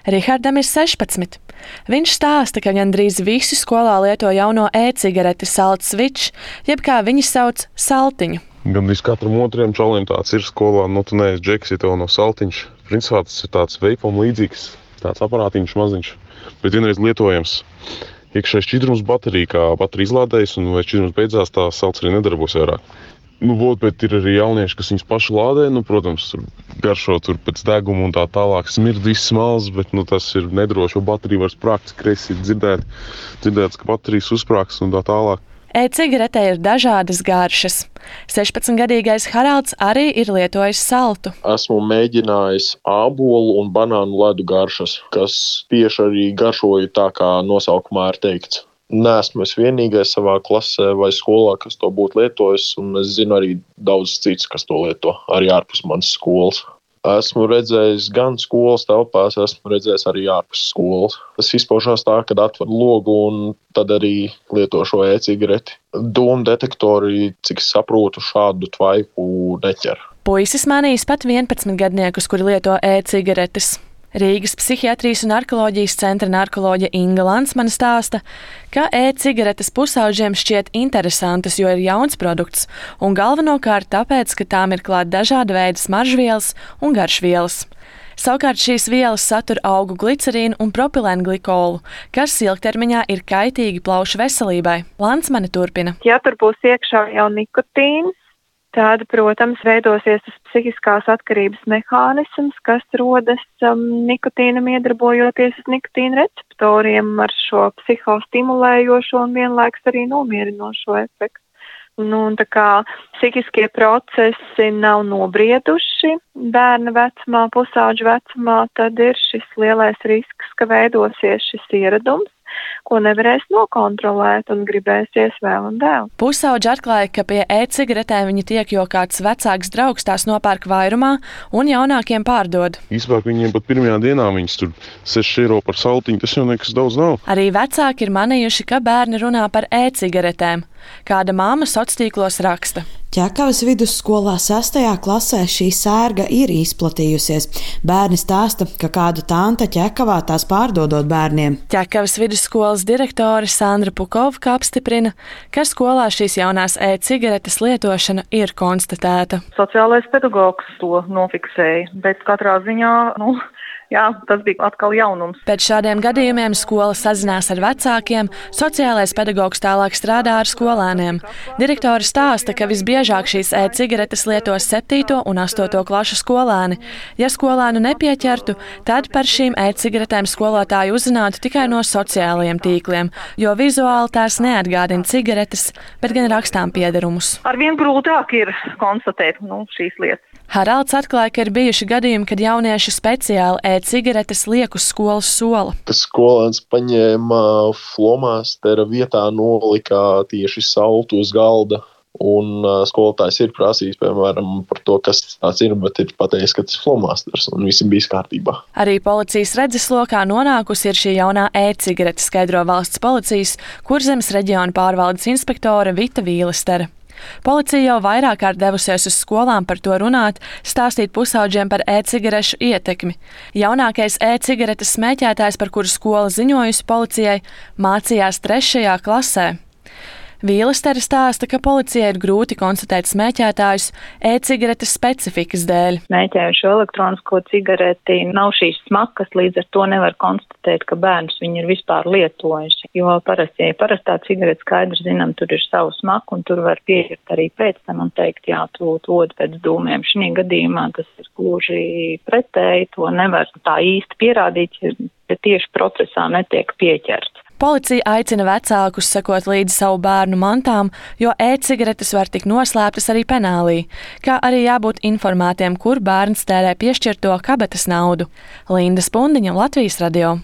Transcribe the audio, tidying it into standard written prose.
Rihardam ir 16. Viņš stāsta, ka gandrīz visi skolā lieto jauno e-cigareti Salt Switch, jeb kā viņi sauc saltiņu. Gandrīz katram otriem čalim tāds ir skolā, tu neesi džeks, ja tev nav saltiņš. Principā tas ir tāds veipam līdzīgs, tāds aparātiņš maziņš, bet vienreiz lietojams. Iekšējais šķidrums baterija, kā baterija izlādējas, un vai šķidrums beidzās, tā salts arī nedarbos vairāk. Bet ir arī jaunieši, kas viņus paši lādē, protams, garšo tur pēc deguma un tā tālāk. Smird viss smalks, bet tas ir nedroši, jo baterija var sprākt, kreisi ir dzirdēts, ka baterijas uzsprāks un tā tālāk. E-cigaretē ir dažādas garšas. 16-gadīgais Haralds arī ir lietojis saltu. Esmu mēģinājis ābolu un banānu ledu garšas, kas tieši arī garšoja tā, kā nosaukumā ir teikts. Neesmu es vienīgais savā klasē vai skolā, kas to būtu lietojis, un es zinu arī daudz cits, kas to lieto, arī ārpus manas skolas. Esmu redzējis gan skolas telpās, esmu redzējis arī ārpus skolas. Tas izpaužās tā, kad atver logu un tad arī lieto šo e-cigareti. Dūmu detektori, cik saprotu, šādu tvaiku neķer. Puisis manīs pat 11-gadniekus, kuri lieto e-cigaretes. Rīgas psihiatrijas un narkoloģijas centra narkoloģe Inga Lansmane stāsta, ka e-cigaretes pusauģiem šķiet interesantas, jo ir jauns produkts, un galvenokārt tāpēc, ka tām ir klāt dažāda veida smaržvielas un garšvielas. Savukārt šīs vielas satur augu glicerīnu un propilēnglikolu, kas ilgtermiņā ir kaitīgi plaušu veselībai. Lansmane turpina. Ja tur būs iekšā jau nikotīns, tad, protams, veidosies tas psihiskās atkarības mehānisms, kas rodas nikotīnam iedarbojoties uz nikotīna receptoriem ar šo psihostimulējošo un vienlaikus arī nomierinošo efektu. Tā kā psihiskie procesi nav nobrieduši bērna vecumā, pusauģa vecumā, tad ir šis lielais risks, ka veidosies šis ieradums, ko nevarēs nokontrolēt un gribēsies vēl un vēl. Pusauģi atklāja, ka pie e-cigaretēm viņi tiek, jo kāds vecāks draugs tās nopērk vairumā un jaunākiem pārdod. Īsāk viņiem pat pirmajā dienā viņas tur 6 eiro par saltiņu, tas jau nekas daudz nav. Arī vecāki ir manījuši, ka bērni runā par e-cigaretēm. Kāda māma sociālos raksta. Ķekavas vidusskolā 6. klasē šī sērga ir izplatījusies. Bērni stāsta, ka kāda tante Ķekavā tās pārdodot bērniem. Ķekavas vidusskolas direktore Sandra Pukovka apstiprina, ka skolā šīs jaunās e-cigaretes lietošana ir konstatēta. Sociālais pedagogs to nofiksēja, bet katrā ziņā, jā, tas bija atkal jaunums. Pēc šādiem gadījumiem skola sazinās ar vecākiem, sociālais pedagogs tālāk strādā ar skolēniem. Direktori stāsta, ka visbiežāk šīs e-cigaretes lieto 7. un 8. klašu skolēni. Ja skolēnu nepieķertu, tad par šīm e-cigaretēm skolotāji uzzinātu tikai no sociālajiem tīkliem, jo vizuāli tās neatgādina cigaretes, bet gan rakstām piederumus. Arvien grūtāk ir konstatēt šīs lietas. Haralds atklāja, ka ir bijuši gadījumi, kad jaunieši speciāli e-cigaretes liek uz skolas sola. Tas skolēns paņēma flomastera vietā, nolika tieši saltu uz galda. Un skolotājs ir prasījis, piemēram, par to, kas tāds ir, bet ir pateicis, ka tas ir flomasters, un viss bija kārtībā. Arī policijas redzeslokā nonākusi ir šī jaunā e-cigarete, skaidro valsts policijas Kurzemes reģiona pārvaldes inspektore Vita Vīlestere. Policija jau vairāk kārt devusies uz skolām par to runāt, stāstīt pusauģiem par e-cigarešu ietekmi. Jaunākais e-cigaretes smēķētājs, par kuru skola ziņojusi policijai, mācījās 3. klasē. Vīlestere stāsta, ka policijai ir grūti konstatēt smēķētājus e-cigaretes specifikas dēļ. Smēķējušo elektronisko cigareti nav šīs smakas, līdz ar to nevar konstatēt, ka bērns viņu ir vispār lietojuši. Jo parastā cigarete skaidrs zinām, tur ir savu smaku un tur var pieķert arī pēc tam un teikt, jā, tu odi pēc dūmiem. Šī gadījumā tas ir gluži pretēji, to nevar tā īsti pierādīt, ja tieši procesā netiek pieķerts. Policija aicina vecākus sekot līdzi savu bērnu mantām, jo e-cigaretes var tikt noslēptas arī penālī, kā arī jābūt informētiem, kur bērns tērē piešķirto kabatas naudu. Linda Spundiņa, Latvijas radio.